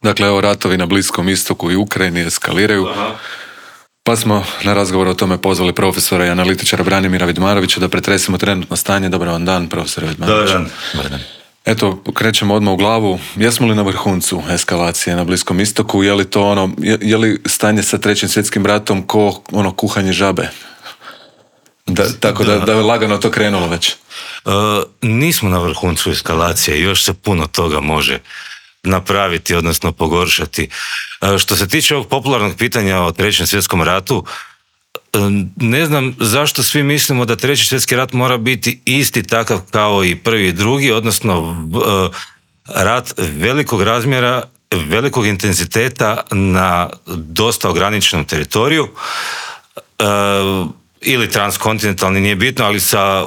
Dakle, evo, ratovi na Bliskom istoku i Ukrajini eskaliraju. Aha. Pa smo na razgovor o tome pozvali profesora i analitičara Branimira Vidmarovića da pretresimo trenutno stanje. Dobar vam dan, profesore Vidmarović. Dobar dan. Eto, krećemo odmah u glavu. Jesmo li na vrhuncu eskalacije na Bliskom istoku? Je li to je li stanje sa Trećim svjetskim ratom ko kuhanje žabe? Da je lagano to krenulo već. Nismo na vrhuncu eskalacije, još se puno toga može napraviti, odnosno pogoršati. Što se tiče ovog popularnog pitanja o Trećem svjetskom ratu, ne znam zašto svi mislimo da Treći svjetski rat mora biti isti takav kao i prvi i drugi, odnosno rat velikog razmjera, velikog intenziteta na dosta ograničenom teritoriju, ili transkontinentalni, nije bitno, ali sa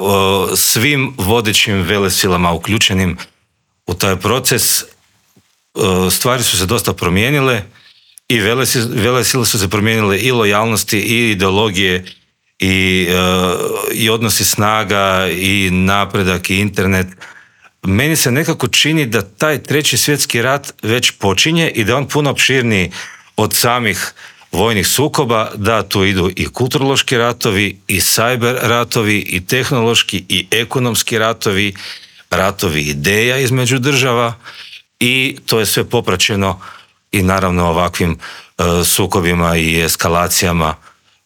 svim vodećim velesilama uključenim u taj proces. Stvari su se dosta promijenile i velesile su se promijenile, i lojalnosti, i ideologije, i odnosi snaga, i napredak, i internet. Meni se nekako čini da taj Treći svjetski rat već počinje i da je on puno opširniji od samih vojnih sukoba, da tu idu i kulturološki ratovi, i cyber ratovi, i tehnološki, i ekonomski ratovi, ratovi ideja između država, i to je sve popraćeno i naravno ovakvim sukobima i eskalacijama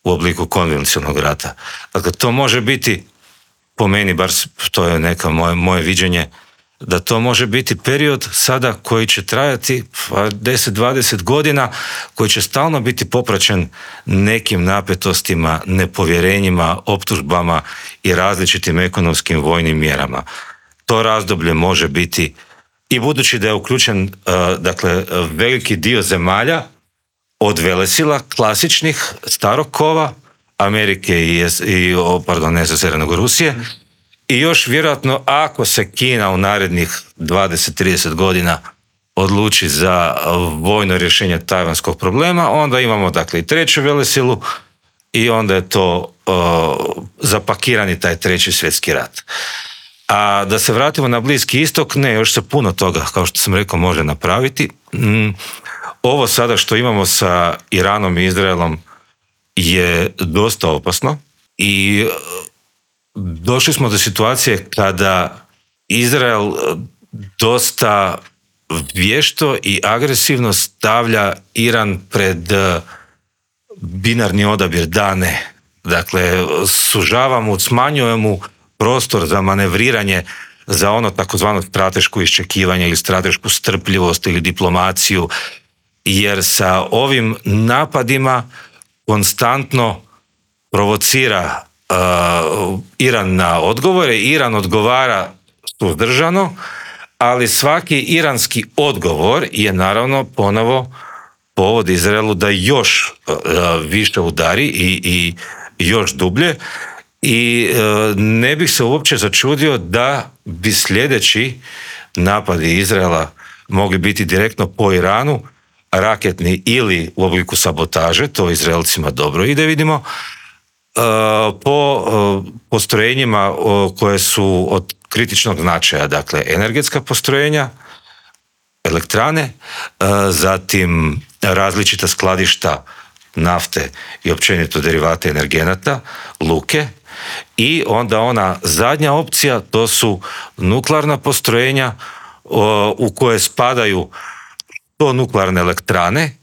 u obliku konvencionalnog rata. Dakle, to može biti, po meni, bar to je neka moje viđenje, da to može biti period sada koji će trajati 10-20 godina, koji će stalno biti popraćen nekim napetostima, nepovjerenjima, optužbama i različitim ekonomskim vojnim mjerama. To razdoblje može biti, i budući da je uključen veliki dio zemalja od velesila klasičnih starog kova, Amerike i SSSR, nego Rusije, i još vjerojatno ako se Kina u narednih 20-30 godina odluči za vojno rješenje tajvanskog problema, onda imamo i treću velesilu i onda je to zapakirani taj Treći svjetski rat. A da se vratimo na Bliski istok, ne, još se puno toga, kao što sam rekao, može napraviti. Ovo sada što imamo sa Iranom i Izraelom je dosta opasno i došli smo do situacije kada Izrael dosta vješto i agresivno stavlja Iran pred binarni odabir da ne. Dakle, sužava mu, smanjuje mu prostor za manevriranje, za ono takozvano strateško iščekivanje ili stratešku strpljivost ili diplomaciju, jer sa ovim napadima konstantno provocira Iran na odgovore. Iran odgovara suzdržano, ali svaki iranski odgovor je naravno ponovo povod Izraelu da još više udari i još dublje. I ne bih se uopće začudio da bi sljedeći napadi Izraela mogli biti direktno po Iranu, raketni ili u obliku sabotaže, to Izraelcima dobro ide, vidimo, po postrojenjima koje su od kritičnog značaja, dakle energetska postrojenja, elektrane, zatim različita skladišta nafte i općenito derivate energenata, luke, i onda ona zadnja opcija, to su nuklearna postrojenja u koje spadaju to nuklearne elektrane.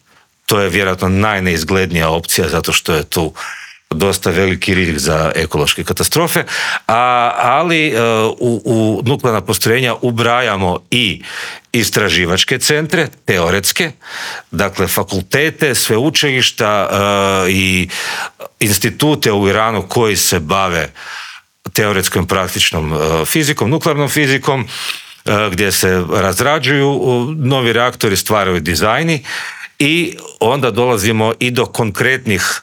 To je vjerojatno najneizglednija opcija zato što je tu dosta veliki rizik za ekološke katastrofe, ali u nuklearna postrojenja ubrajamo i istraživačke centre, teoretske, dakle fakultete, sveučilišta i institute u Iranu koji se bave teoretskom praktičnom fizikom, nuklearnom fizikom, gdje se razrađuju novi reaktori, stvaraju dizajni, i onda dolazimo i do konkretnih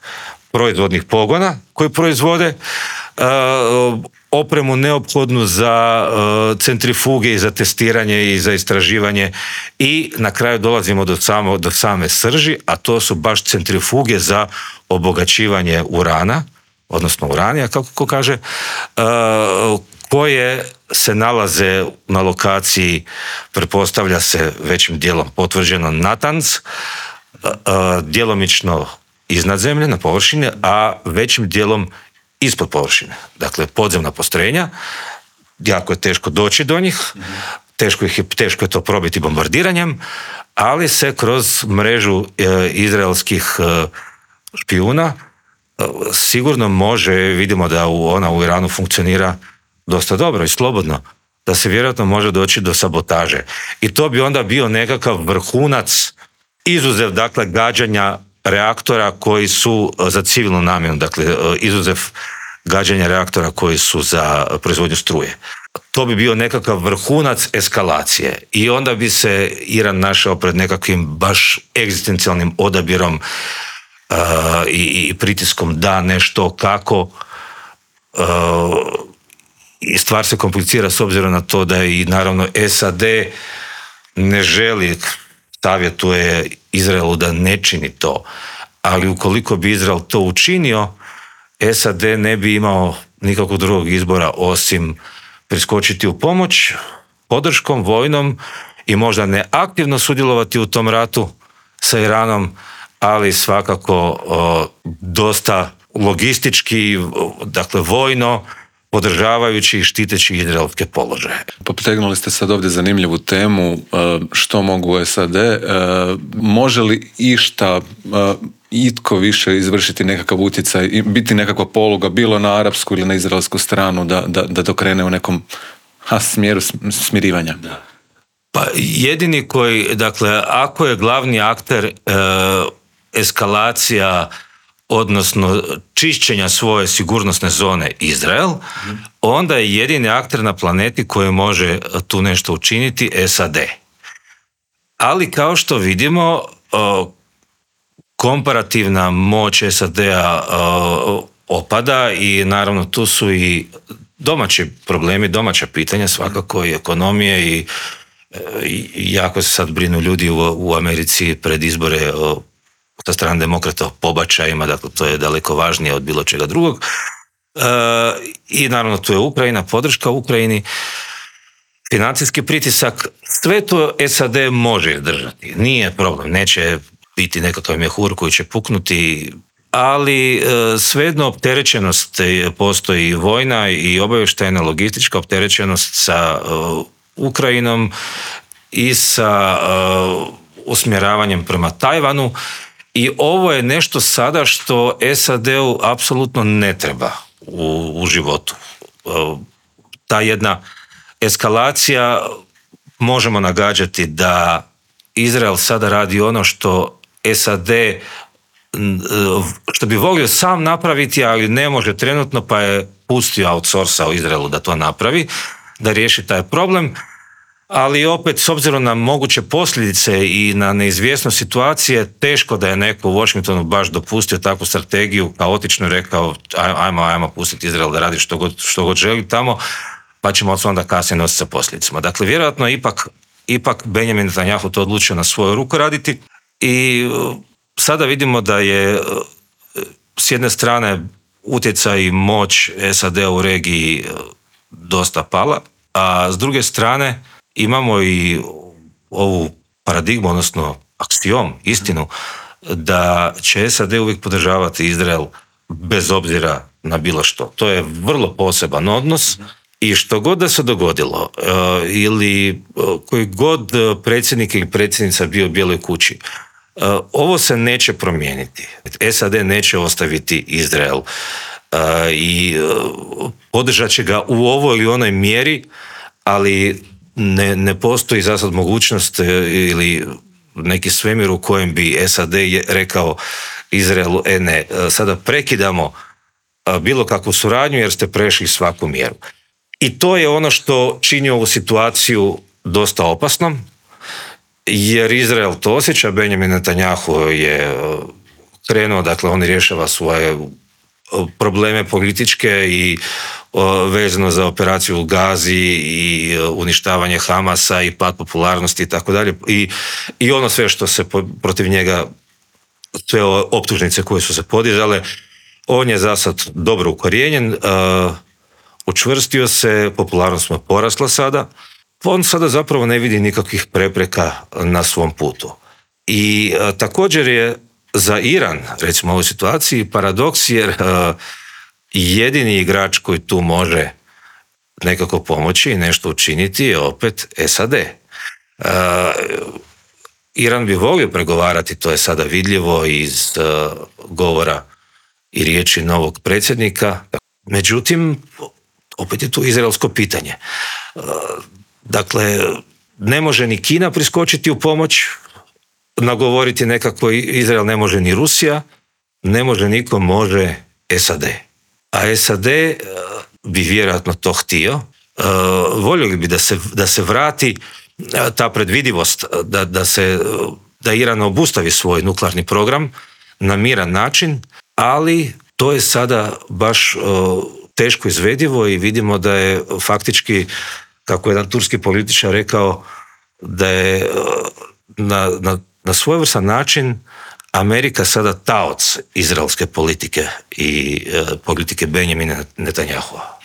proizvodnih pogona koji proizvode opremu neophodnu za centrifuge i za testiranje i za istraživanje, i na kraju dolazimo do same srži, a to su baš centrifuge za obogaćivanje urana, odnosno uranija, kako ko kaže, koje se nalaze na lokaciji, pretpostavlja se većim dijelom potvrđeno Natanz, djelomično iznad zemlje, na površini, a većim dijelom ispod površine. Dakle, podzemna postrojenja, jako je teško doći do njih, teško je to probiti bombardiranjem, ali se kroz mrežu izraelskih špijuna sigurno može, vidimo da ona u Iranu funkcionira dosta dobro i slobodno, da se vjerojatno može doći do sabotaže. I to bi onda bio nekakav vrhunac, izuzev dakle gađanja reaktora koji su za civilnu namjenu, dakle izuzev gađanja reaktora koji su za proizvodnju struje. To bi bio nekakav vrhunac eskalacije i onda bi se Iran našao pred nekakvim baš egzistencijalnim odabirom i pritiskom da nešto kako, i stvar se komplicira s obzirom na to da i naravno SAD ne želi, savjetuje Izraelu da ne čini to, ali ukoliko bi Izrael to učinio, SAD ne bi imao nikakvog drugog izbora osim priskočiti u pomoć podrškom vojnom i možda ne aktivno sudjelovati u tom ratu sa Iranom, ali svakako dosta logistički, dakle vojno, podržavajući i štiteći izraelske položaje. Potegnuli ste sad ovdje zanimljivu temu, što mogu SAD. Može li išta itko više izvršiti nekakav utjecaj i biti nekakva poluga, bilo na arapsku ili na izraelsku stranu, da to krene u nekom smjeru smirivanja? Da. Pa jedini koji, dakle, ako je glavni akter eskalacija, odnosno čišćenja svoje sigurnosne zone Izrael, onda je jedini akter na planeti koji može tu nešto učiniti SAD. Ali kao što vidimo, komparativna moć SAD-a opada i naravno tu su i domaći problemi, domaća pitanja, svakako i ekonomije i jako se sad brinu ljudi u Americi pred izbore sa strane demokrata o pobačajima, dakle to je daleko važnije od bilo čega drugog. I naravno tu je Ukrajina, podrška Ukrajini, financijski pritisak, sve to SAD može izdržati. Nije problem, neće biti nekakav mjehur koji će puknuti, ali svejedno opterećenost postoji vojna i obavještajna logistička opterećenost sa Ukrajinom i sa usmjeravanjem prema Tajvanu. I ovo je nešto sada što SAD-u apsolutno ne treba u životu. Ta jedna eskalacija, možemo nagađati da Izrael sada radi ono što SAD, što bi volio sam napraviti, ali ne može trenutno, pa je pustio, outsourcao Izraelu da to napravi, da riješi taj problem. Ali opet, s obzirom na moguće posljedice i na neizvjesnost situacije, teško da je neko u Washingtonu baš dopustio takvu strategiju, kaotično rekao ajmo pustiti Izrael da radi što god želi tamo, pa ćemo onda kasnije nositi sa posljedicama. Dakle, vjerojatno ipak Benjamin Netanjahu to odlučio na svoju ruku raditi i sada vidimo da je s jedne strane utjecaj i moć SAD-a u regiji dosta pala, a s druge strane imamo i ovu paradigmu, odnosno aksiom, istinu, da će SAD uvijek podržavati Izrael bez obzira na bilo što. To je vrlo poseban odnos i što god da se dogodilo, ili koji god predsjednik ili predsjednica bio u Bijeloj kući, ovo se neće promijeniti. SAD neće ostaviti Izrael i podržat će ga u ovoj ili onoj mjeri, ali ne postoji za sad mogućnost ili neki svemir u kojem bi SAD rekao Izraelu, ne, sada prekidamo bilo kakvu suradnju jer ste prešli svaku mjeru. I to je ono što čini ovu situaciju dosta opasnom, jer Izrael to osjeća. Benjamin Netanjahu je krenuo, dakle on rješava svoje probleme političke i vezano za operaciju u Gazi i uništavanje Hamasa i pad popularnosti i tako dalje. I ono sve što se protiv njega, sve optužnice koje su se podizale, on je za sad dobro ukorijenjen. učvrstio se, popularnost mu je porasla sada, on sada zapravo ne vidi nikakvih prepreka na svom putu. I također je za Iran, recimo u ovoj situaciji, paradoks, jer jedini igrač koji tu može nekako pomoći i nešto učiniti je opet SAD. Iran bi volio pregovarati, to je sada vidljivo iz govora i riječi novog predsjednika. Međutim, opet je tu izraelsko pitanje. Dakle, ne može ni Kina priskočiti u pomoć, nagovoriti nekako Izrael, ne može ni Rusija, ne može niko, može SAD. A SAD bi vjerojatno to htio. Voljeli bi da se vrati ta predvidivost, da Iran obustavi svoj nuklearni program na miran način, ali to je sada baš teško izvedivo i vidimo da je faktički, kako je jedan turski političar rekao, da je na svojevrstan način Amerika sada taoc izraelske politike i politike Benjamina Netanjahua.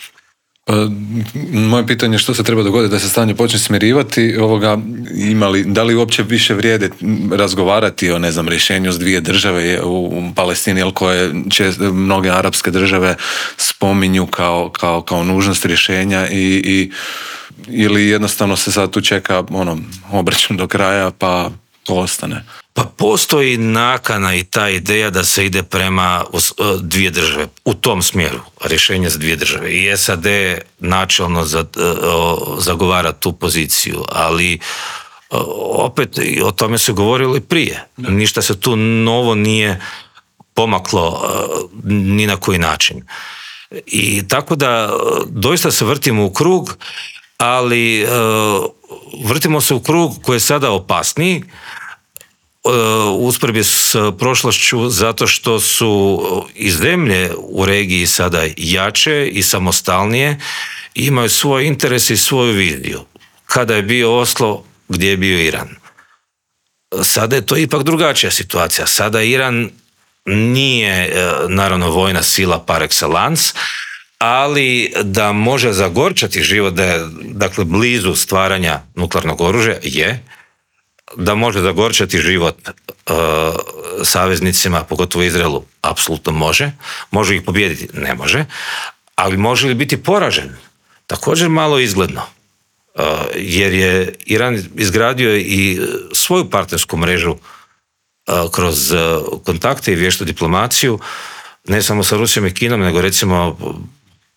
Moje pitanje je što se treba dogoditi da se stanje počne smirivati, da li uopće više vrijede razgovarati o, ne znam, rješenju s dvije države u Palestini, koje će mnoge arapske države spominju kao nužnost rješenja ili jednostavno se sad tu čeka obračun do kraja pa to ostane? Pa postoji nakana i ta ideja da se ide prema dvije države, u tom smjeru, rješenje za dvije države. I SAD načelno zagovara tu poziciju, ali opet o tome se govorilo i prije. Ništa se tu novo nije pomaklo ni na koji način. I tako da doista se vrtimo u krug, ali vrtimo se u krug koji je sada opasniji, usporedbi s prošlošću, zato što su i zemlje u regiji sada jače i samostalnije i imaju svoj interes i svoju viziju. Kada je bio Oslo, gdje je bio Iran? Sada je to ipak drugačija situacija. Sada Iran nije naravno vojna sila par excellence, ali da može zagorčati život, da je dakle blizu stvaranja nuklearnog oružja, je. Da može zagorčati život saveznicima, pogotovo Izraelu, apsolutno može. Može ih pobijediti? Ne može. Ali može li biti poražen? Također malo izgledno. Jer je Iran izgradio i svoju partnersku mrežu kroz kontakte i vještu diplomaciju, ne samo sa Rusijom i Kinom, nego recimo,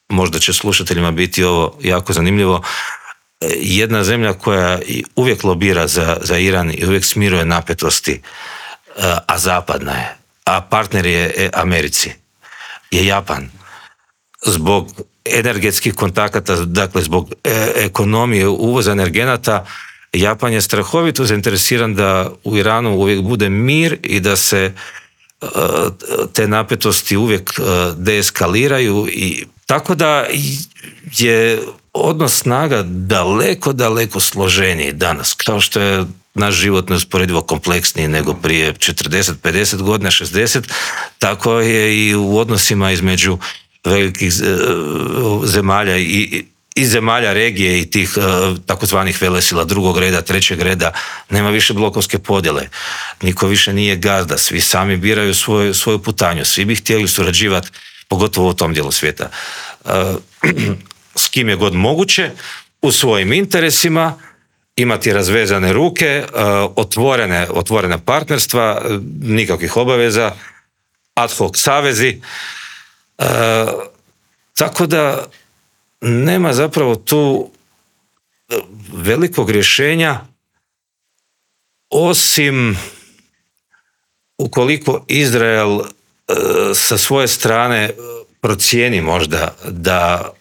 možda će slušateljima biti ovo jako zanimljivo, jedna zemlja koja uvijek lobira za Iran i uvijek smiruje napetosti, a zapadna je, a partner je Americi, je Japan. Zbog energetskih kontakata, dakle zbog ekonomije uvoza energenata, Japan je strahovito zainteresiran da u Iranu uvijek bude mir i da se te napetosti uvijek deeskaliraju, i tako da je odnos snaga daleko složeniji danas, kao što je naš život neusporedivo kompleksniji nego prije 40, 50 godina, 60, tako je i u odnosima između velikih zemalja i zemalja regije i tih takozvanih velesila drugog reda, trećeg reda. Nema više blokovske podjele, niko više nije gazda, svi sami biraju svoju putanju, svi bi htjeli surađivati, pogotovo u tom dijelu svijeta, s kim je god moguće, u svojim interesima, imati razvezane ruke, otvorene partnerstva, nikakvih obaveza, ad hoc savezi, tako da nema zapravo tu velikog rješenja, osim ukoliko Izrael sa svoje strane procijeni možda da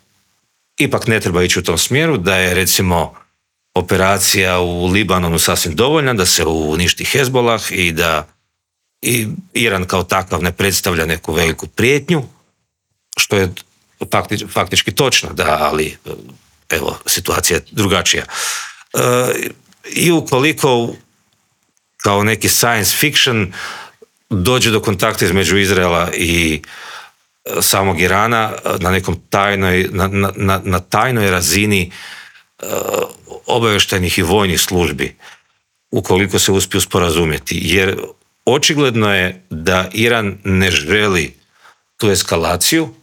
ipak ne treba ići u tom smjeru, da je recimo operacija u Libanonu sasvim dovoljna, da se uništi Hezbolah i da i Iran kao takav ne predstavlja neku veliku prijetnju, što je faktički točno, da, ali evo, situacija je drugačija. I ukoliko kao neki science fiction dođe do kontakta između Izraela i samog Irana na nekom na tajnoj razini obavještajnih i vojnih službi, ukoliko se uspiju sporazumjeti. Jer očigledno je da Iran ne želi tu eskalaciju.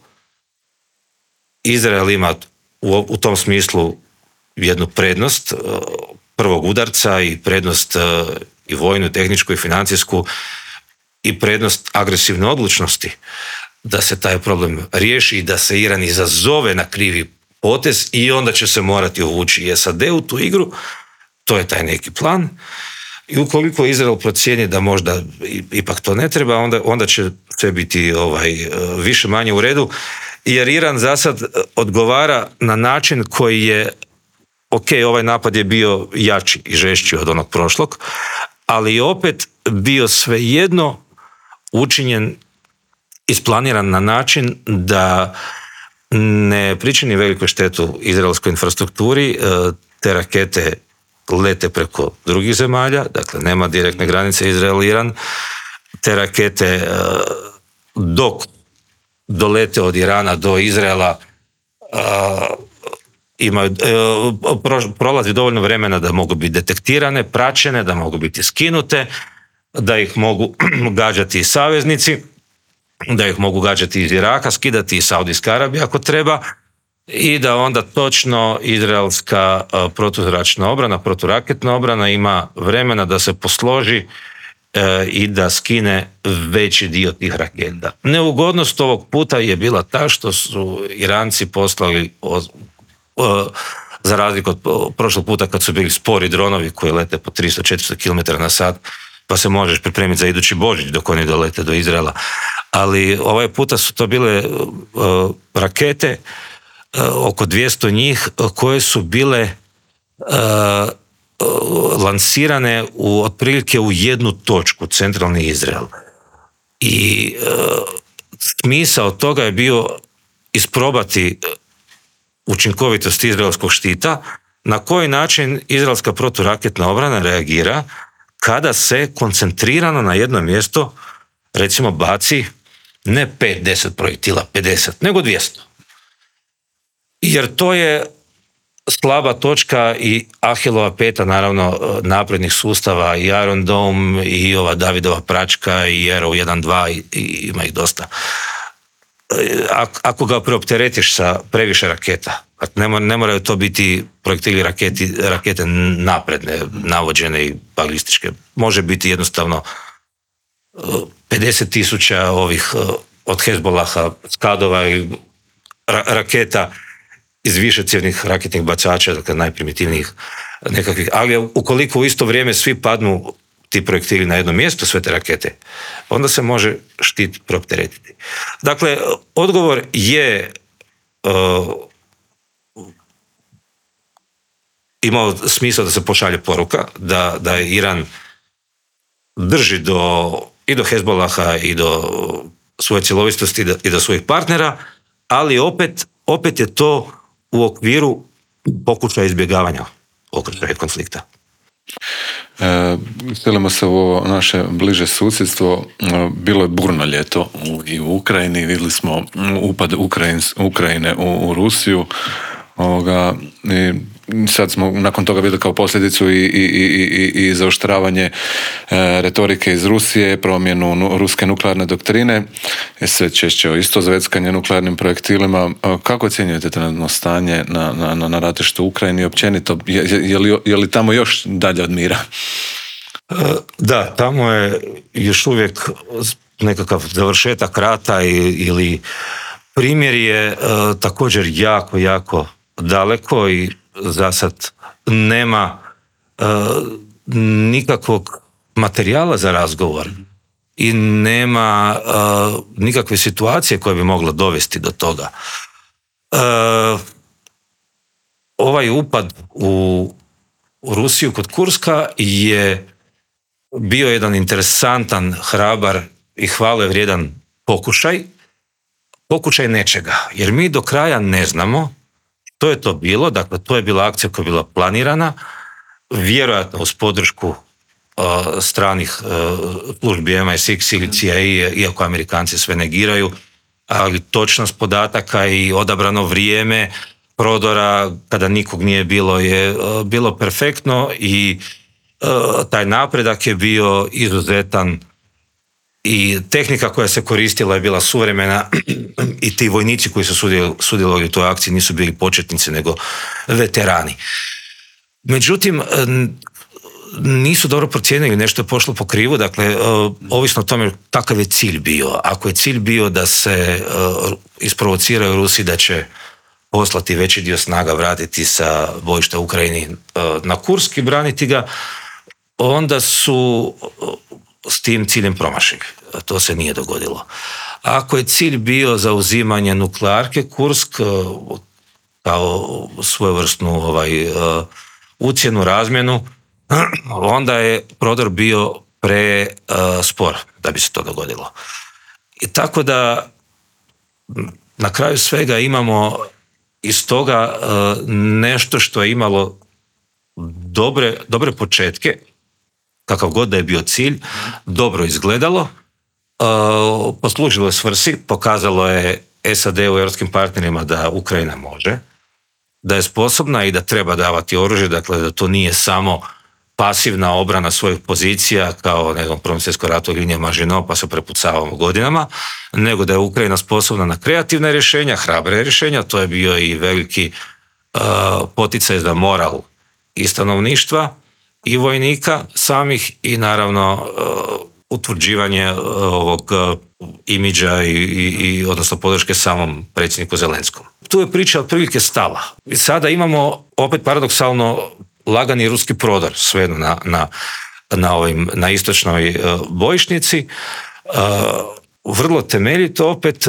Izrael ima u tom smislu jednu prednost prvog udarca i prednost i vojnu, tehničku i financijsku i prednost agresivne odlučnosti da se taj problem riješi i da se Iran izazove na krivi potez i onda će se morati uvući i SAD u tu igru. To je taj neki plan. I ukoliko Izrael procijeni da možda ipak to ne treba, onda će sve biti više manje u redu, jer Iran za sad odgovara na način koji je, ok, ovaj napad je bio jači i žešći od onog prošlog, ali je opet bio svejedno učinjen, isplaniran na način da ne pričini veliku štetu izraelskoj infrastrukturi. Te rakete lete preko drugih zemalja, dakle nema direktne granice Izrael-Iran. Te rakete dok dolete od Irana do Izraela prolazi dovoljno vremena da mogu biti detektirane, praćene, da mogu biti skinute, da ih mogu gađati i saveznici, da ih mogu gađati iz Iraka, skidati iz Saudijske Arabije ako treba, i da onda točno izraelska protuzračna obrana, proturaketna obrana ima vremena da se posloži i da skine veći dio tih raketa. Neugodnost ovog puta je bila ta što su Iranci poslali, za razliku od prošlog puta kad su bili spori dronovi koji lete po 300-400 km na sat, pa se možeš pripremiti za idući Božić dok oni dolete do Izraela. Ali ovaj puta su to bile rakete, oko 200 njih, koje su bile lansirane otprilike u jednu točku, centralni Izrael. I smisao toga je bio isprobati učinkovitost izraelskog štita, na koji način izraelska proturaketna obrana reagira kada se koncentrirano na jedno mjesto, recimo, baci ne 5-10 projektila, 50, nego 200. Jer to je slaba točka i Ahilova peta, naravno, naprednih sustava, i Iron Dome, i ova Davidova pračka, i Arrow 1-2, i ima ih dosta. Ako ga preopteretiš sa previše raketa, ne moraju to biti projektili rakete napredne, navođene i balističke. Može biti jednostavno 50,000 ovih od Hezbolaha, Skadova i raketa iz višecjevnih raketnih bacača, dakle najprimitivnijih nekakvih. Ali ukoliko u isto vrijeme svi padnu ti projektili na jedno mjesto, sve te rakete, onda se može štit preopteretiti. Dakle, odgovor je imao smisla da se pošalje poruka da Iran drži i do Hezbolaha i do svoje cjelovitosti i do svojih partnera, ali opet je to u okviru pokušaja izbjegavanja okršaja konflikta. Selimo se u ovo naše bliže susjedstvo. Bilo je burno ljeto i u Ukrajini. Vidjeli smo upad Ukrajine u Rusiju. I sad smo nakon toga vidjeli kao posljedicu i zaoštravanje retorike iz Rusije, promjenu ruske nuklearne doktrine, sve češće isto zveckanje nuklearnim projektilima. Kako ocjenjujete trenutno stanje na ratištu u Ukrajini i općenito? Je li tamo još dalje od mira? Da, tamo je još uvijek nekakav završetak rata ili primjer je također jako, jako daleko i za sad nema nikakvog materijala za razgovor i nema nikakve situacije koja bi mogla dovesti do toga. Ovaj upad u Rusiju kod Kurska je bio jedan interesantan, hrabar i hvale vrijedan pokušaj nečega, jer mi do kraja ne znamo što je to bilo. Dakle, to je bila akcija koja je bila planirana, vjerojatno uz podršku stranih službi MI6 ili CIA, iako Amerikanci sve negiraju, ali točnost podataka i odabrano vrijeme prodora kada nikog nije bilo je bilo perfektno i taj napredak je bio izuzetan i tehnika koja se koristila je bila suvremena i ti vojnici koji su sudjelovali u toj akciji nisu bili početnici nego veterani. Međutim, nisu dobro procijenili, nešto je pošlo po krivu, dakle, ovisno o tome kakav je cilj bio. Ako je cilj bio da se isprovociraju Rusi da će poslati veći dio snaga, vratiti sa bojišta u Ukrajini na Kursk i braniti ga, onda su s tim ciljem promašili. To se nije dogodilo. Ako je cilj bio zauzimanje nuklearke Kursk kao svojevrsnu ucjenu, razmjenu, onda je prodor bio prespor da bi se to dogodilo. I tako da na kraju svega imamo iz toga nešto što je imalo dobre početke, kakav god da je bio cilj, dobro izgledalo, poslužilo je svrsi, pokazalo je SAD u europskim partnerima da Ukrajina može, da je sposobna i da treba davati oružje, dakle da to nije samo pasivna obrana svojih pozicija kao u Prvom svjetskom ratu linija Maginot pa se prepucavamo godinama, nego da je Ukrajina sposobna na kreativna rješenja, hrabre rješenja. To je bio i veliki poticaj za moral i stanovništva i vojnika samih i naravno utvrđivanje ovog imidža i odnosno podrške samom predsjedniku Zelenskom. Tu je priča otprilike stala. I sada imamo opet paradoksalno lagani ruski prodor svejedno na istočnoj bojišnici. Vrlo temeljito opet,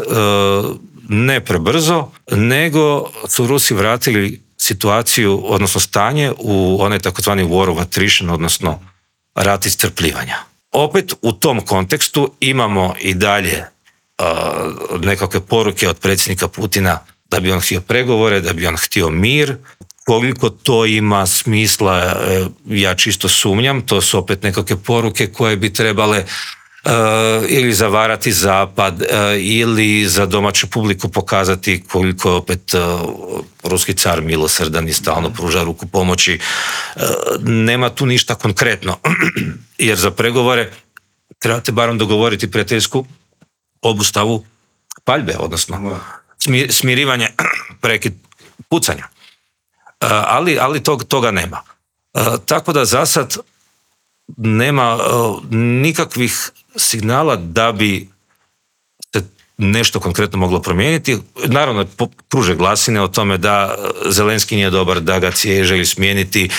ne prebrzo, nego su Rusi vratili situaciju, odnosno stanje u onaj takozvani war of attrition, odnosno rat iscrpljivanja. Opet u tom kontekstu imamo i dalje nekakve poruke od predsjednika Putina da bi on htio pregovore, da bi on htio mir. Koliko to ima smisla, ja čisto sumnjam. To su opet nekakve poruke koje bi trebale ili zavarati Zapad ili za domaću publiku pokazati koliko je opet ruski car milosrdan i stalno pruža ruku pomoći. Nema tu ništa konkretno, jer za pregovore trebate barem dogovoriti prijateljsku obustavu paljbe, odnosno smirivanje, prekid pucanja. Ali toga nema. Tako da za sad nema nikakvih signala da bi se nešto konkretno moglo promijeniti. Naravno, kruže glasine o tome da Zelenski nije dobar, da ga želi smijeniti,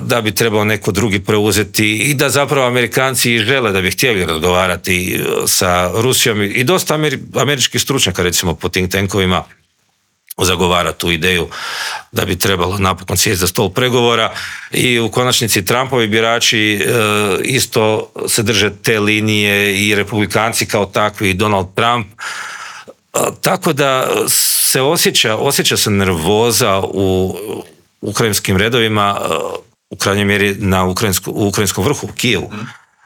da bi trebao neko drugi preuzeti i da zapravo Amerikanci žele da bi htjeli razgovarati sa Rusijom i dosta američkih stručnjaka, recimo po think tankovima, zagovara tu ideju da bi trebalo napokon sjesti za stol pregovora i u konačnici Trumpovi birači isto se drže te linije i republikanci kao takvi i Donald Trump. Tako da se osjeća se nervoza u ukrajinskim redovima, u krajnjoj mjeri u ukrajinskom vrhu, u Kijevu.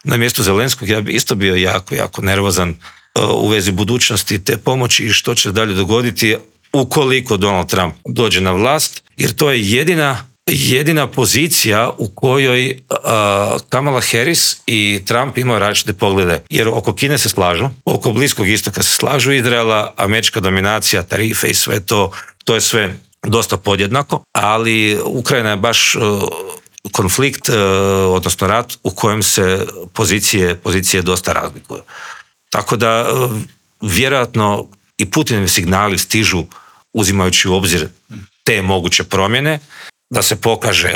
Na mjestu Zelenskog ja bi isto bio jako nervozan u vezi budućnosti te pomoći i što će dalje dogoditi ukoliko Donald Trump dođe na vlast, jer to je jedina pozicija u kojoj Kamala Harris i Trump imaju različite poglede. Jer oko Kine se slažu, oko Bliskog istoka se slažu, Izraela, američka dominacija, tarife i sve to je sve dosta podjednako, ali Ukrajina je baš konflikt, odnosno rat u kojem se pozicije dosta razlikuju. Tako da vjerojatno i Putinovi signali stižu uzimajući u obzir te moguće promjene, da se pokaže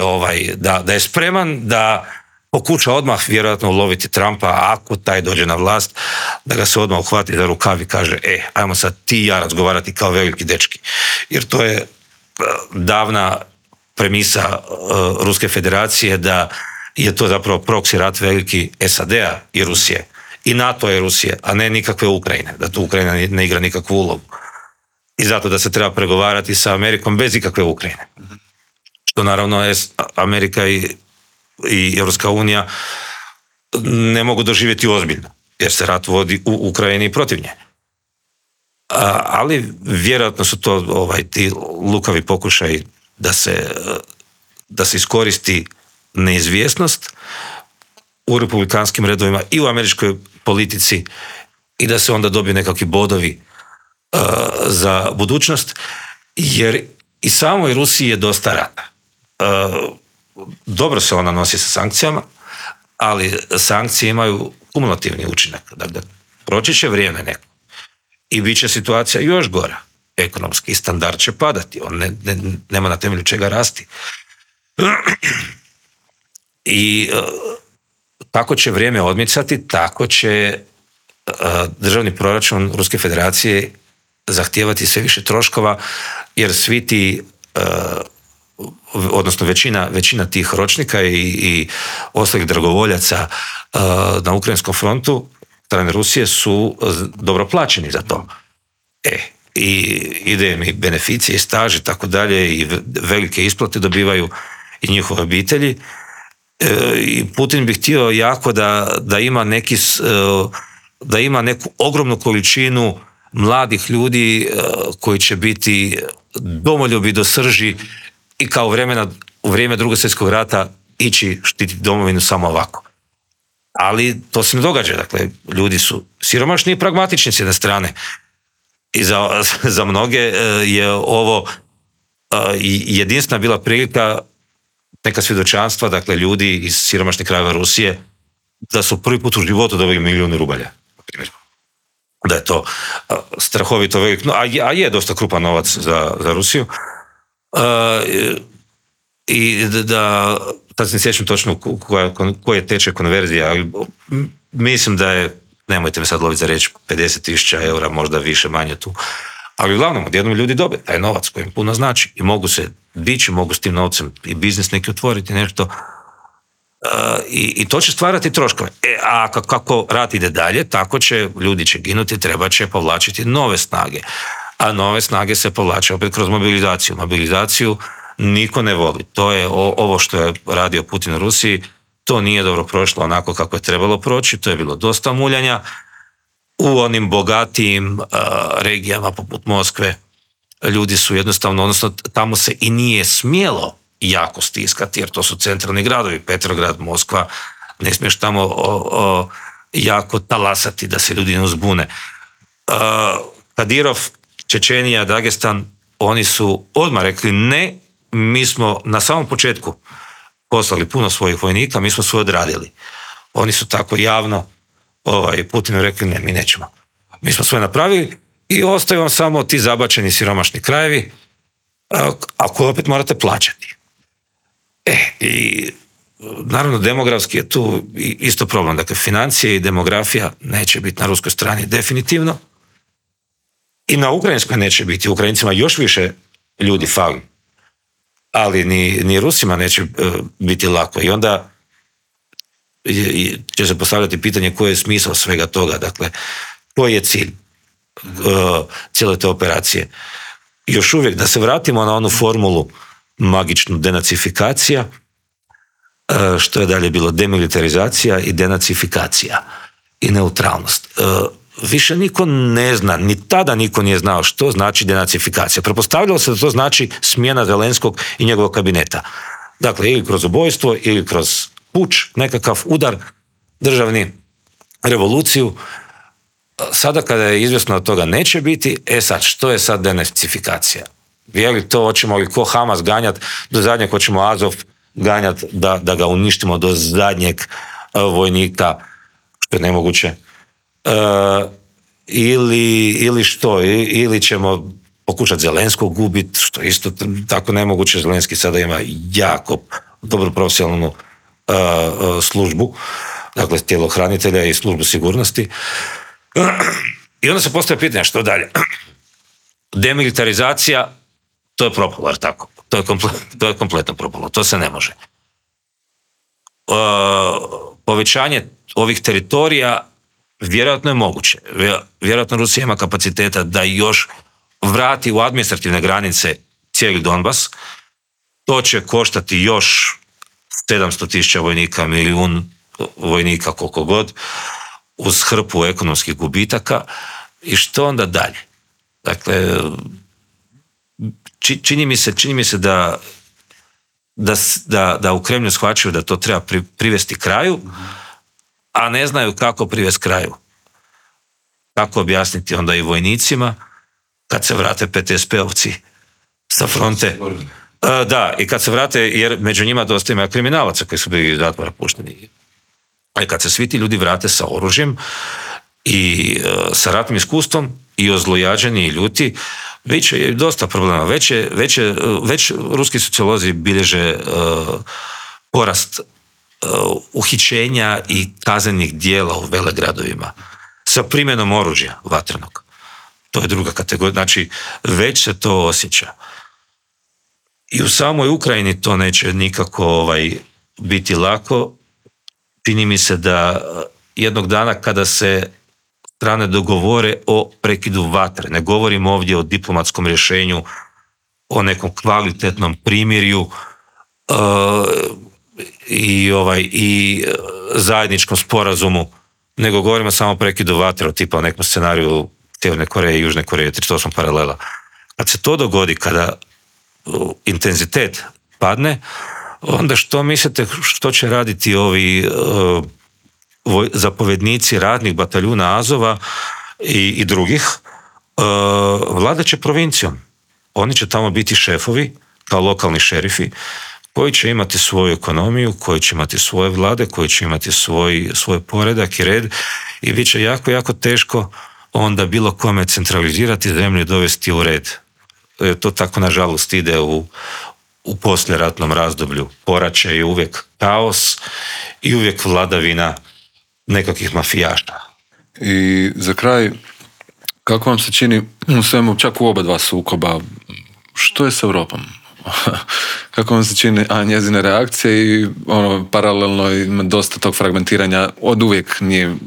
da je spreman, da pokuša odmah vjerojatno uloviti Trumpa, ako taj dođe na vlast, da ga se odmah uhvati za rukav i kaže ajmo sad ti i ja razgovarati kao veliki dečki. Jer to je davna premisa Ruske federacije da je to zapravo proksi rat veliki SAD-a i Rusije. I NATO je Rusije, a ne nikakve Ukrajine, da tu Ukrajina ne igra nikakvu ulogu. I zato da se treba pregovarati sa Amerikom bez ikakve Ukrajine. Što naravno Amerika i Europska unija ne mogu doživjeti ozbiljno, jer se rat vodi u Ukrajini protiv nje. ali vjerojatno su to ti lukavi pokušaj da se iskoristi neizvjesnost u republikanskim redovima i u američkoj politici i da se onda dobiju nekakvi bodovi za budućnost, jer i samoj Rusiji je dosta rata. Dobro se ona nosi sa sankcijama, ali sankcije imaju kumulativni učinak. Dakle, proći će vrijeme neko i bit će situacija još gora. Ekonomski standard će padati, on nema na temelju čega rasti. I kako će vrijeme odmicati, tako će državni proračun Ruske federacije zahtijevati sve više troškova, jer svi ti, odnosno većina tih ročnika i ostalih dragovoljaca na ukrajinskom frontu strane Rusije su dobro plaćeni za to. I ide im i beneficije i staž i tako dalje i velike isplate dobivaju i njihove obitelji. I Putin bi htio jako da ima neku ogromnu količinu mladih ljudi koji će biti domoljubi do srži i kao u vrijeme Drugog svjetskog rata ići štititi domovinu samo ovako. Ali to se ne događa. Dakle, ljudi su siromašni i pragmatični s jedne strane. I za mnoge je ovo jedinstvena bila prilika, neka svjedočanstva, dakle, ljudi iz siromašnih krajeva Rusije, da su prvi put u životu dobili milijune rubalja. Da je to strahovito velik, a je dosta krupan novac za Rusiju. I da sad se ne sjećam točno koja je tečaj konverzija, ali mislim da je, nemojte me sad loviti za reći, 50.000 eura, možda više, manje tu. Ali uglavnom, odjednom ljudi dobe taj novac koji im puno znači i mogu se dići, mogu s tim novcem i biznis neki otvoriti, nešto. I to će stvarati troškove. A kako rat ide dalje, tako će, ljudi će ginuti, treba će povlačiti nove snage. A nove snage se povlače opet kroz mobilizaciju. Mobilizaciju niko ne voli. To je ovo što je radio Putin u Rusiji, to nije dobro prošlo onako kako je trebalo proći, to je bilo dosta muljanja. U onim bogatijim regijama poput Moskve ljudi su jednostavno, odnosno tamo se i nije smjelo jako stiskati, jer to su centralni gradovi, Petrograd, Moskva, ne smiješ tamo jako talasati da se ljudi ne uzbune. Kadirov, Čečenija, Dagestan, oni su odmah rekli ne, mi smo na samom početku poslali puno svojih vojnika, mi smo sve odradili. Oni su tako javno Putinu rekli ne, mi nećemo. Mi smo sve napravili i ostaju vam samo ti zabačeni siromašni krajevi, a koje opet morate plaćati. I naravno demografski je tu isto problem. Dakle, financije i demografija neće biti na ruskoj strani definitivno i na ukrajinskoj neće biti. Ukrajincima još više ljudi fali, ali ni Rusima neće biti lako. I onda će se postavljati pitanje koji je smisao svega toga. Dakle, koji je cilj cijele te operacije. Još uvijek da se vratimo na onu formulu magičnu denacifikacija, što je dalje bilo demilitarizacija i denacifikacija i neutralnost. Više niko ne zna, ni tada niko nije znao što znači denacifikacija. Pretpostavljalo se da to znači smjena Zelenskog i njegovog kabineta. Dakle, ili kroz ubojstvo, ili kroz puč, nekakav udar, državni, revoluciju. Sada kada je izvjesno da toga neće biti, sad, što je sad denacifikacija? Je li to, hoćemo li ko Hamas ganjati do zadnjeg, hoćemo Azov ganjati da ga uništimo do zadnjeg vojnika, što je nemoguće, ili što, ili ćemo pokušati Zelenskog gubiti, što je isto tako nemoguće. Zelenski sada ima jako dobro profesionalnu službu, dakle tjelohranitelja i službu sigurnosti. I onda se postavlja pitanje što dalje. Demilitarizacija, to je propalo, jer tako. To je kompletno propalo, to se ne može. Povećanje ovih teritorija vjerojatno je moguće. Vjerojatno Rusija ima kapaciteta da još vrati u administrativne granice cijeli Donbas. To će koštati još 700.000 vojnika, milijun vojnika, koliko god, uz hrpu ekonomskih gubitaka. I što onda dalje? Dakle, čini mi se da u Kremlju shvaćaju da to treba privesti kraju, a ne znaju kako privesti kraju. Kako objasniti onda i vojnicima kad se vrate PTSP-ovci sa fronte. Da, i kad se vrate, jer među njima dosta ima kriminalaca koji su bili iz zatvora pušteni. I kad se svi ti ljudi vrate sa oružjem i sa ratnim iskustvom i ozlojađeni i ljuti, već je dosta problema. Već ruski sociolozi bilježe porast uhićenja i kaznenih dijela u velegradovima sa primjenom oružja vatrenog. To je druga kategorija. Znači, već se to osjeća. I u samoj Ukrajini to neće nikako biti lako. Čini mi se da jednog dana kada se strane dogovore o prekidu vatre, ne govorimo ovdje o diplomatskom rješenju, o nekom kvalitetnom primirju i zajedničkom sporazumu, nego govorimo samo o prekidu vatre, tipa o nekom scenariju Sjeverne Koreje i Južne Koreje, 38 paralela. Kad se to dogodi, kada intenzitet padne, onda što mislite što će raditi ovi zapovjednici radnih bataljuna Azova i drugih? Vladat će provincijom. Oni će tamo biti šefovi, kao lokalni šerifi, koji će imati svoju ekonomiju, koji će imati svoje vlade, koji će imati svoj poredak i red, i bit će jako, jako teško onda bilo kome centralizirati zemlju i dovesti u red. To tako nažalost ide u poslijeratnom razdoblju. Poraće je uvijek kaos i uvijek vladavina nekakvih mafijaša. I za kraj, kako vam se čini u svemu, čak u oba dva sukoba, što je s Europom? Kako vam se čini njezine reakcije i paralelno ima dosta tog fragmentiranja, od uvijek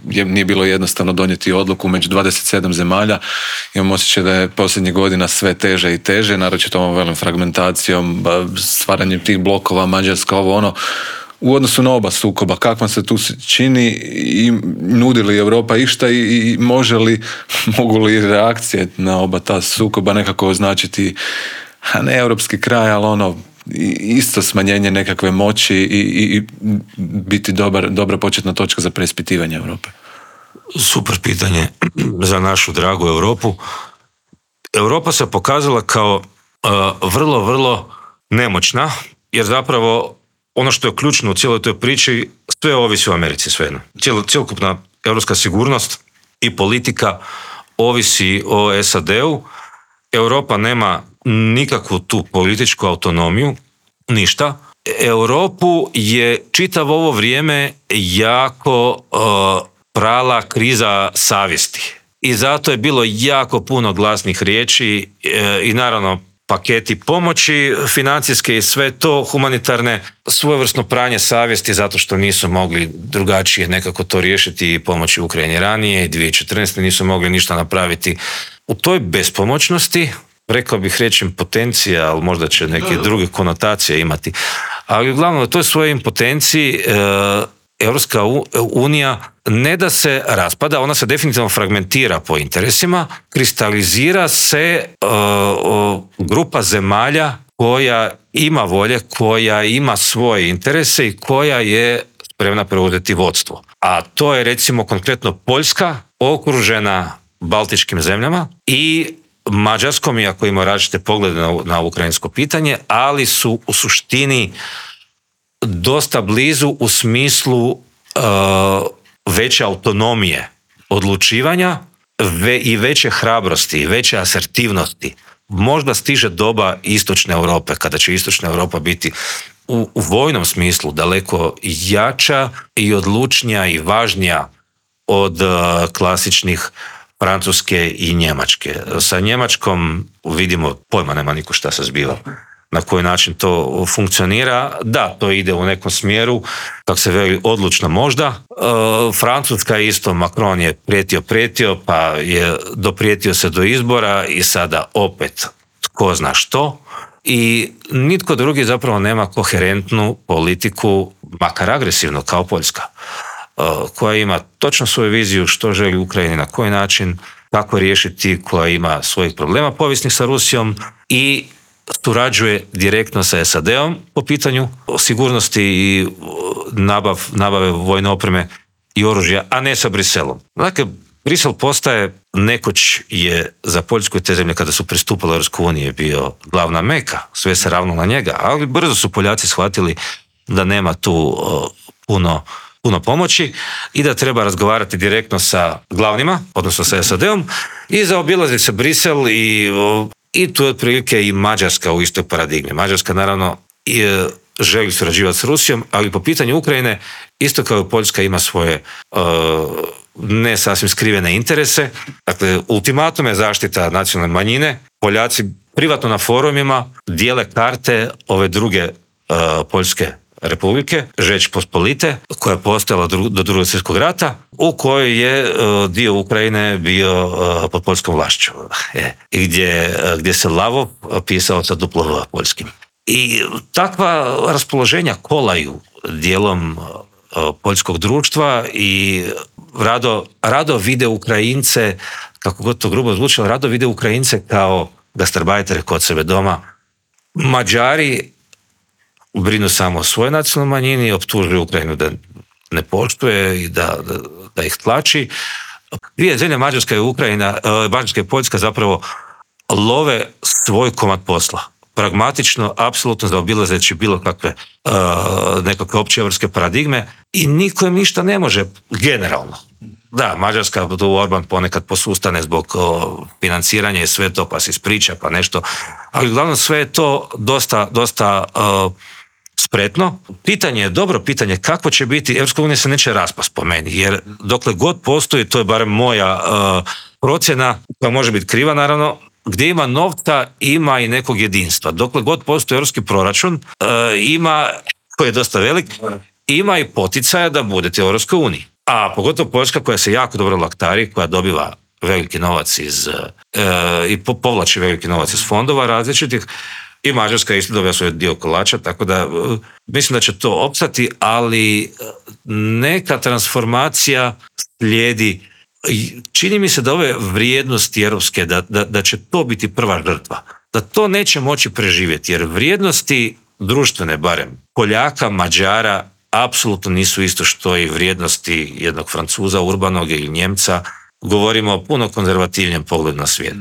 nije bilo jednostavno donijeti odluku među 27 zemalja. Imam osjećaj da je posljednjih godina sve teže i teže, naročito ovom velim fragmentacijom, stvaranjem tih blokova, Mađarska, u odnosu na oba sukoba, kako vam se tu čini i nudi li Europa išta i mogu li reakcije na oba ta sukoba nekako označiti, a ne europski kraj, ali isto smanjenje nekakve moći i biti dobra početna točka za preispitivanje Europe? Super pitanje za našu dragu Europu. Europa se pokazala kao vrlo, vrlo nemoćna, jer zapravo ono što je ključno u cijeloj toj priči, sve ovisi o Americi svejedno. Cjelokupna europska sigurnost i politika ovisi o SAD-u. Europa nema nikakvu tu političku autonomiju, ništa. Europu je čitavo ovo vrijeme jako prala kriza savjesti. I zato je bilo jako puno glasnih riječi i naravno paketi pomoći, financijske i sve to, humanitarne, svojevrsno pranje savjesti zato što nisu mogli drugačije nekako to riješiti i pomoći Ukrajini ranije i 2014. nisu mogli ništa napraviti. U toj bespomoćnosti, rekao bih reći impotencija, ali možda će neke druge konotacije imati, ali uglavnom u toj svojoj impotenciji Europska unija ne da se raspada, ona se definitivno fragmentira po interesima, kristalizira se grupa zemalja koja ima volje, koja ima svoje interese i koja je spremna preuzeti vodstvo. A to je recimo konkretno Poljska, okružena baltičkim zemljama i Mađarskom, iako ima različite poglede na ukrajinsko pitanje, ali su u suštini dosta blizu u smislu veće autonomije odlučivanja i veće hrabrosti, veće asertivnosti. Možda stiže doba istočne Europe, kada će istočna Europa biti u vojnom smislu daleko jača i odlučnija i važnija od klasičnih Francuske i Njemačke. Sa Njemačkom vidimo, pojma nema niko šta se zbiva. Na koji način to funkcionira. Da, to ide u nekom smjeru, kako se veli, odlučno možda. Francuska isto, Macron je prijetio, pa je doprijetio se do izbora i sada opet tko zna što. I nitko drugi zapravo nema koherentnu politiku, makar agresivno kao Poljska, koja ima točno svoju viziju što želi Ukrajini, na koji način, kako riješiti, koja ima svojih problema povijesnih sa Rusijom i surađuje direktno sa SAD-om po pitanju sigurnosti i nabave vojne opreme i oružja, a ne sa Briselom. Dakle, Brisel postaje, nekoć je za Poljsku i te zemlje kada su pristupile Europskoj uniji bio glavna meka, sve se ravno na njega, ali brzo su Poljaci shvatili da nema tu puno pomoći i da treba razgovarati direktno sa glavnima, odnosno sa SAD-om, i zaobilazi se Brisel i tu je otprilike i Mađarska u istoj paradigmi. Mađarska naravno želi surađivati s Rusijom, ali po pitanju Ukrajine, isto kao i Poljska, ima svoje ne sasvim skrivene interese. Dakle, ultimatum je zaštita nacionalne manjine. Poljaci privatno na forumima dijele karte ove druge Poljske republike, Žeč Pospolite, koja je postojala do Drugog svjetskog rata, u kojoj je dio Ukrajine bio pod poljskom vlašću. I gdje se Lavo pisao sa duplo V poljskim. I takva raspoloženja kolaju dijelom poljskog društva i rado vide Ukrajince, kako god to grubo zvučalo, rado vide Ukrajince kao gastarbajtere kod sebe doma. Mađari brinu samo o svojoj nacionalnoj manjini, optužuju Ukrajinu da ne poštuje i da ih tlači. Dvije zemlje, Mađarska i Mađarska i Poljska, zapravo love svoj komad posla. Pragmatično, apsolutno zaobilazeći bilo kakve nekakve opće evropske paradigme i niko im ništa ne može generalno. Da, Mađarska, tu Orban ponekad posustane zbog financiranja i sve to, pa se ispriča, pa nešto, ali uglavnom sve je to dosta spretno. Dobro pitanje kako će biti, Europska unija se neće raspast po meni, jer dokle god postoji, to je barem moja procjena, koja može biti kriva naravno, gdje ima novca, ima i nekog jedinstva. Dokle god postoji europski proračun, ima, koji je dosta velik, ima i poticaja da budete u Europskoj uniji. A pogotovo Poljska, koja se jako dobro laktari, koja dobiva veliki novac i povlači veliki novac iz fondova različitih, i Mađarska isto dobija svoj dio kolača, tako da mislim da će to opstati, ali neka transformacija slijedi. Čini mi se da ove vrijednosti europske, da će to biti prva žrtva, da to neće moći preživjeti, jer vrijednosti društvene, barem Poljaka, Mađara, apsolutno nisu isto što i vrijednosti jednog Francuza, urbanog ili Njemca. Govorimo o puno konzervativnijem pogledu na svijet.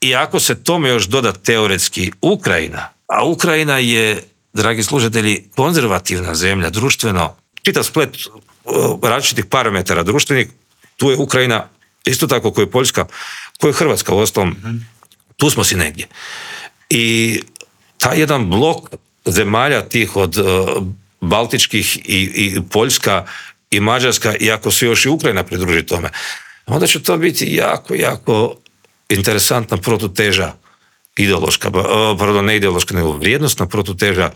I ako se tome još doda teoretski Ukrajina, a Ukrajina je, dragi slušatelji, konzervativna zemlja, društveno, čitav splet različitih parametara društvenih, tu je Ukrajina isto tako kao je Poljska, kao je Hrvatska, uostalom, tu smo si negdje. I taj jedan blok zemalja tih od Baltičkih i Poljska i Mađarska, i ako se još i Ukrajina pridruži tome, onda će to biti jako, jako interesantna protuteža ideološka, ne ideološka, nego vrijednostna protuteža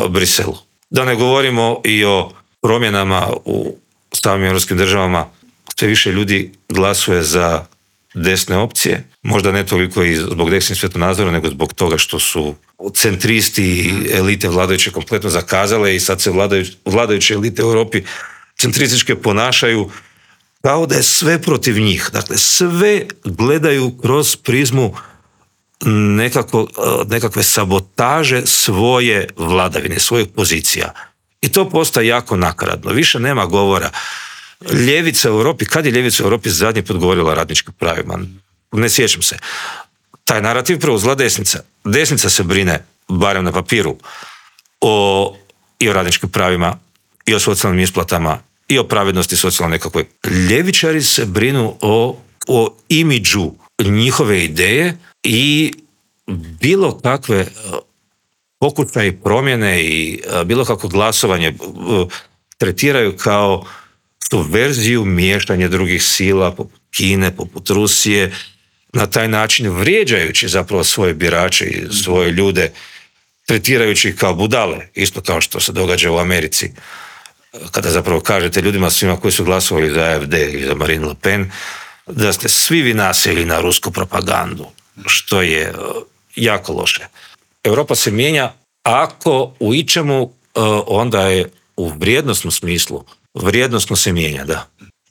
Briselu. Da ne govorimo i o promjenama u samim europskim državama. Sve više ljudi glasuje za desne opcije, možda ne toliko i zbog desnih svjetonazora, nego zbog toga što su centristi i elite vladajuće kompletno zakazale i sad se vladajuće elite u Europi centrističke ponašaju kao da je sve protiv njih. Dakle, sve gledaju kroz prizmu nekakve sabotaže svoje vladavine, svojih pozicija. I to postaje jako nakaradno. Više nema govora. Ljevica u Europi, kad je ljevica u Europi zadnji put govorila o radničkim pravima? Ne sjećam se. Taj narativ preuzela desnica. Desnica se brine, barem na papiru, i o radničkim pravima, i o socijalnim isplatama, i o pravednosti socijalno nekakvoj. Ljevičari se brinu o imidžu njihove ideje i bilo kakve pokušaje promjene i bilo kakvo glasovanje tretiraju kao subverziju, miješanje drugih sila, poput Kine, poput Rusije, na taj način vrijeđajući zapravo svoje birače i svoje ljude, tretirajući ih kao budale, isto kao što se događa u Americi, kada zapravo kažete ljudima svima koji su glasovali za AfD ili za Marine Le Pen, da ste svi vi nasjeli na rusku propagandu, što je jako loše. Europa se mijenja, ako u ičemu, onda je u vrijednosnom smislu, vrijednosno se mijenja, da.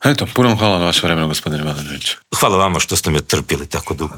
Eto, puno hvala na vaše vremenu, gospodine Malinović. Hvala vama što ste me trpili tako dugo.